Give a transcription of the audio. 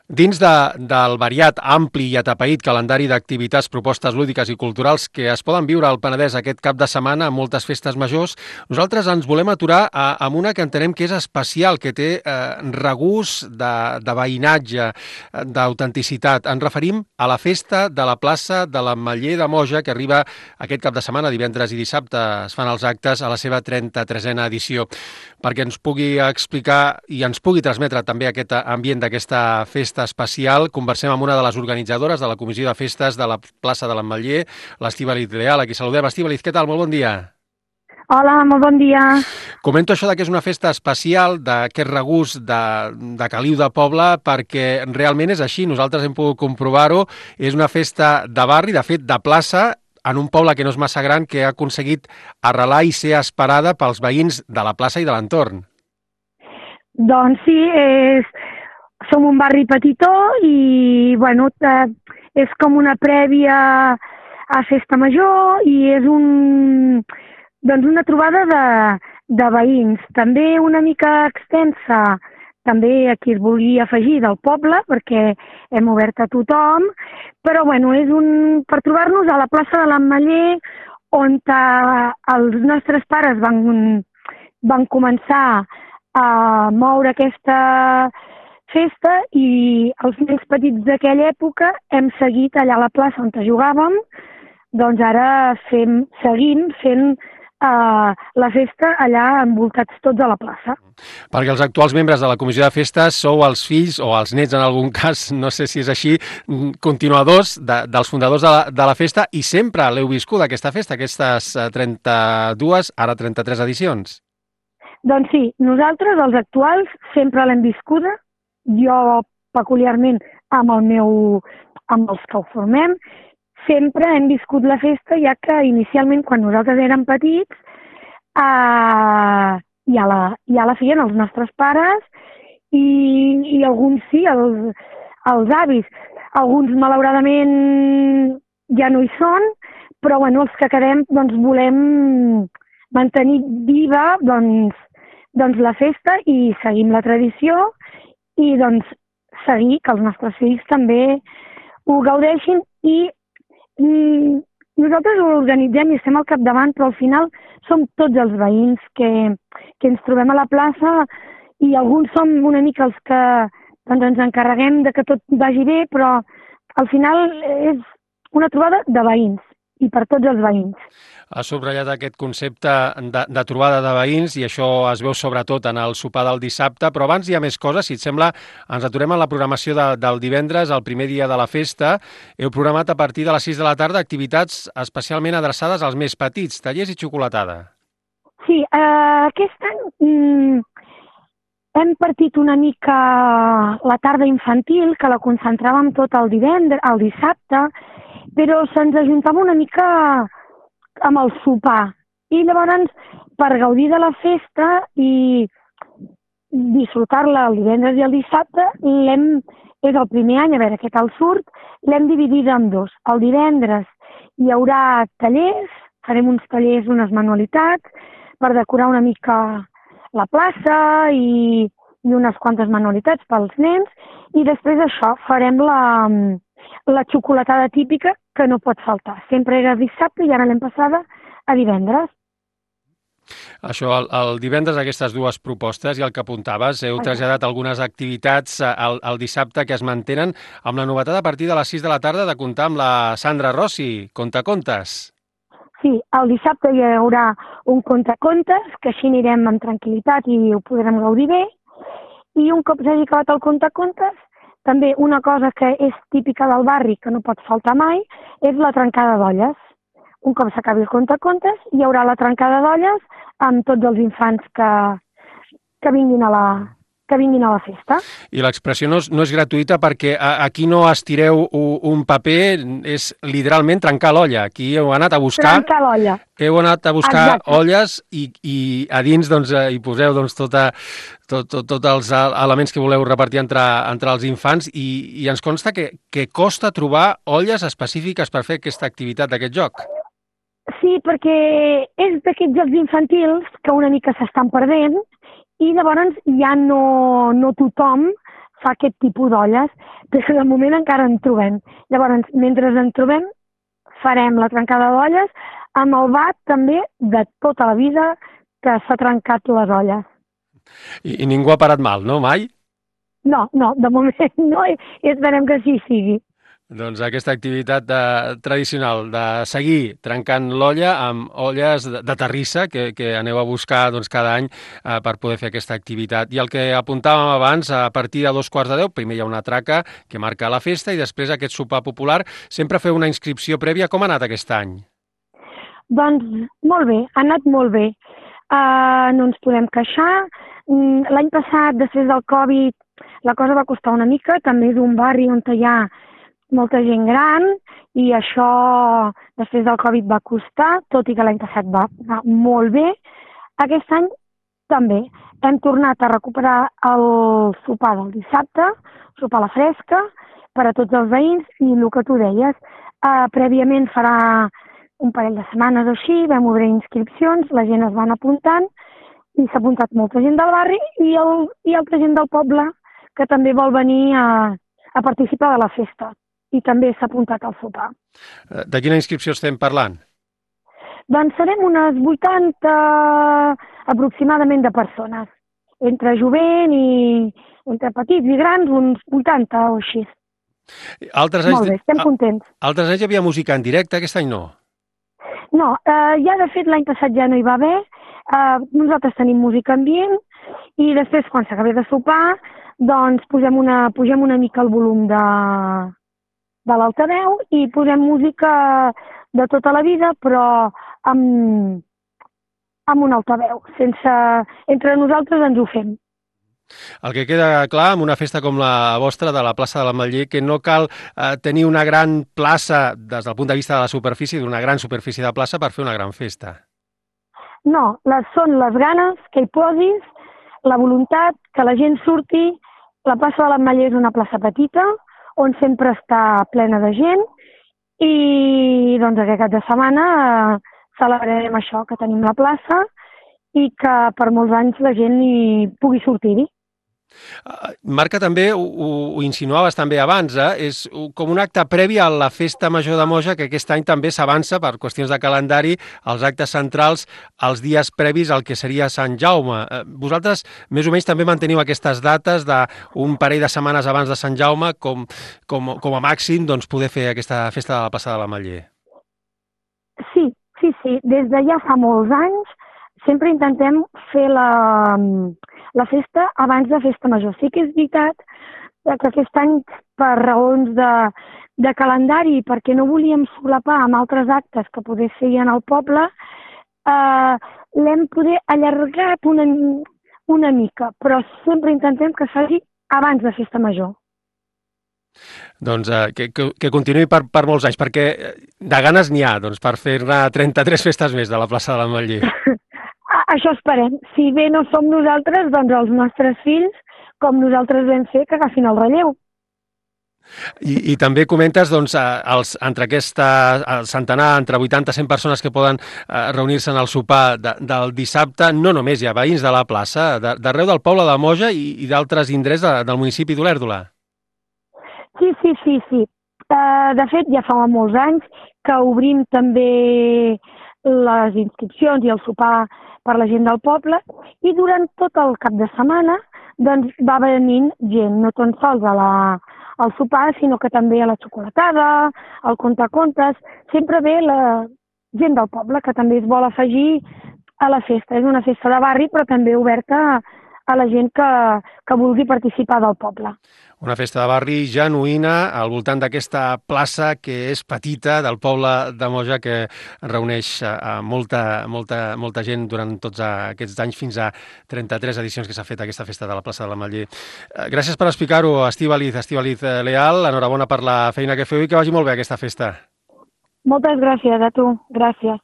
Dins del variat, ampli i atapeït calendari d'activitats, propostes lúdiques i culturals que es poden viure al Penedès aquest cap de setmana amb moltes festes majors, nosaltres ens volem aturar amb una que entenem que és especial, que té regust de veïnatge, d'autenticitat. Ens referim a la festa de la plaça de l'Ametller de Moja, que arriba aquest cap de setmana, divendres i dissabte es fan els actes a la seva 33a edició. Perquè ens pugui explicar i ens pugui transmetre també aquest ambient d'aquesta festa especial, conversem amb una de les organitzadores de la Comissió de Festes de la plaça de l'Ametller, l'Estíbaliz Leal, a qui saludem. Estíbaliz, què tal? Molt bon dia. Hola, molt bon dia. Comento això que és una festa especial, d'aquest regust de caliu de poble, perquè realment és així, nosaltres hem pogut comprovar-ho, és una festa de barri, de fet de plaça, en un poble que no és massa gran, que ha aconseguit arrelar i ser esperada pels veïns de la plaça i de l'entorn. Doncs sí, som un barri petitó i bueno, és com una prèvia a Festa Major i és doncs una trobada de veïns, també una mica extensa, també a qui es vulgui afegir del poble, perquè hem obert a tothom, però bueno, és per trobar-nos a la plaça de l'Ametller, on els nostres pares van començar a moure aquesta festa i els nens petits d'aquella època hem seguit allà a la plaça on jugàvem, doncs ara seguim fent la festa allà envoltats tots a la plaça. Perquè els actuals membres de la Comissió de Festes sou els fills, o els nets en algun cas, no sé si és així, continuadors dels fundadors de la festa i sempre l'heu viscut aquesta festa, aquestes 32, ara 33 edicions. Doncs sí, nosaltres, els actuals, sempre l'hem viscuda, jo peculiarment amb els que ho formem, sempre hem viscut la festa, ja que inicialment, quan nosaltres érem petits, ja la feien els nostres pares i alguns sí, els avis. Alguns, malauradament, ja no hi són, però bueno, els que quedem doncs, volem mantenir viva doncs, la festa i seguim la tradició i doncs, seguir que els nostres fills també ho gaudeixin i nosaltres ho organitzem i estem al capdavant, però al final som tots els veïns que ens trobem a la plaça i alguns som una mica els que doncs, ens encarreguem de que tot vagi bé, però al final és una trobada de veïns i per tots els veïns. Has subratllat aquest concepte de trobada de veïns i això es veu sobretot en el sopar del dissabte, però abans hi ha més coses. Si et sembla, ens aturem en la programació del divendres, el primer dia de la festa. Heu programat a partir de les 6 de la tarda activitats especialment adreçades als més petits, tallers i xocolatada. Sí, aquest any hem partit una mica la tarda infantil, que la concentràvem tot el dissabte, però se'ns ajuntava una mica amb el sopar. I llavors, per gaudir de la festa i disfrutar-la el divendres i el dissabte, és el primer any, a veure què tal surt, l'hem dividida en dos. El divendres hi haurà tallers, farem uns tallers, unes manualitats, per decorar una mica la plaça i unes quantes manualitats pels nens, i després d'això farem la xocolatada típica que no pot faltar. Sempre era dissabte i ara l'hem passada a divendres. Això, el divendres, aquestes dues propostes i el que apuntaves, heu traslladat algunes activitats el dissabte que es mantenen amb la novetat a partir de les 6 de la tarda de comptar amb la Sandra Rossi, Contacontes. Sí, el dissabte hi haurà un contacontes, que així anirem amb tranquil·litat i ho podrem gaudir bé. I un cop s'hagi acabat el contacontes, també una cosa que és típica del barri, que no pot faltar mai, és la trencada d'olles. Un cop s'acabi el contacontes, hi haurà la trencada d'olles amb tots els infants que vinguin a la festa. I l'expressió no és gratuïta perquè aquí no estireu un paper, és literalment trencar l'olla. Aquí heu anat a buscar... Trencar l'olla. Heu anat a buscar Exacte. olles i a dins doncs, hi poseu doncs, tots els elements que voleu repartir entre els infants i ens consta que costa trobar olles específiques per fer aquesta activitat d'aquest joc. Sí, perquè és d'aquests jocs infantils que una mica s'estan perdent i llavors ja no tothom fa aquest tipus d'olles, però de moment encara en trobem. Llavors, mentre en trobem, farem la trencada d'olles amb el bat també de tota la vida que s'ha trencat les olles. I ningú ha parat mal, no? Mai? No, de moment no, i esperem que sí sigui. Doncs aquesta activitat tradicional de seguir trencant l'olla amb olles de terrissa que aneu a buscar doncs, cada any per poder fer aquesta activitat. I el que apuntàvem abans, a partir de 2:45, primer hi ha una traca que marca la festa i després aquest sopar popular. Sempre feu una inscripció prèvia. Com ha anat aquest any? Doncs molt bé, ha anat molt bé. No ens podem queixar. L'any passat, després del Covid, la cosa va costar una mica. També és un barri on hi ha molta gent gran i això després del Covid va costar, tot i que l'any passat va molt bé. Aquest any també hem tornat a recuperar el sopar del dissabte, sopar a la fresca, per a tots els veïns, i el que tu deies, prèviament farà un parell de setmanes o així, vam obrir inscripcions, la gent es van apuntant i s'ha apuntat molta gent del barri i altra gent del poble que també vol venir a participar de la festa. I també s'ha apuntat al sopar. De quina inscripció estem parlant? Doncs serem unes 80 aproximadament de persones. Entre jovent i entre petits i grans, uns 80 o així. Molt bé, estem contents. Altres anys hi havia música en directe, aquest any no? No, ja de fet l'any passat ja no hi va haver. Nosaltres tenim música ambient i després quan s'acabi de sopar doncs pugem una mica el volum de l'altaveu i posem música de tota la vida, però amb un altaveu. Entre nosaltres ens ho fem. El que queda clar amb una festa com la vostra de la plaça de l'Ametller, que no cal tenir una gran plaça des del punt de vista de la superfície, d'una gran superfície de plaça per fer una gran festa. No, són les ganes que hi posis, la voluntat que la gent surti. La plaça de l'Ametller és una plaça petita, on sempre està plena de gent i doncs aquest cap de setmana celebrarem això, que tenim la plaça i que per molts anys la gent hi pugui sortir-hi. Marca, també ho insinuaves també abans, és com un acte previ a la festa major de Moja, que aquest any també s'avança per qüestions de calendari als actes centrals, als dies previs al que seria Sant Jaume. Vosaltres més o menys també manteniu aquestes dates d'un parell de setmanes abans de Sant Jaume com a màxim doncs, poder fer aquesta festa de la plaça de l'Ametller. Sí. Des de ja fa molts anys sempre intentem fer la festa abans de festa major. Sí que és veritat que aquest any, per raons de calendari, perquè no volíem solapar amb altres actes que poder feien al poble, l'hem poder allargat una mica, però sempre intentem que faci abans de festa major. Doncs que continuï per molts anys, perquè de ganes n'hi ha per fer-ne 33 festes més de la plaça de l'Ametller. Això esperem. Si bé no som nosaltres, doncs els nostres fills, com nosaltres vam fer, que agafin el relleu. I també comentes entre el centenar, entre 80 i 100 persones que poden reunir-se en el sopar del dissabte, no només hi ha veïns de la plaça, d'arreu del poble de Moja i d'altres indrets del municipi d'Olèrdola. Sí. De fet, ja fa molts anys que obrim també les inscripcions i el sopar per la gent del poble i durant tot el cap de setmana doncs, va venint gent, no tan sols al sopar, sinó que també a la xocolatada, al contacontes. Sempre ve la gent del poble que també es vol afegir a la festa. És una festa de barri, però també oberta a la gent que vulgui participar del poble. Una festa de barri genuïna al voltant d'aquesta plaça que és petita del poble de Moja, que reuneix molta gent durant tots aquests anys, fins a 33 edicions que s'ha fet aquesta festa de la plaça de l'Ametller. Gràcies per explicar-ho, Estíbaliz Leal. Enhorabona per la feina que feu i que vagi molt bé aquesta festa. Moltes gràcies a tu. Gràcies.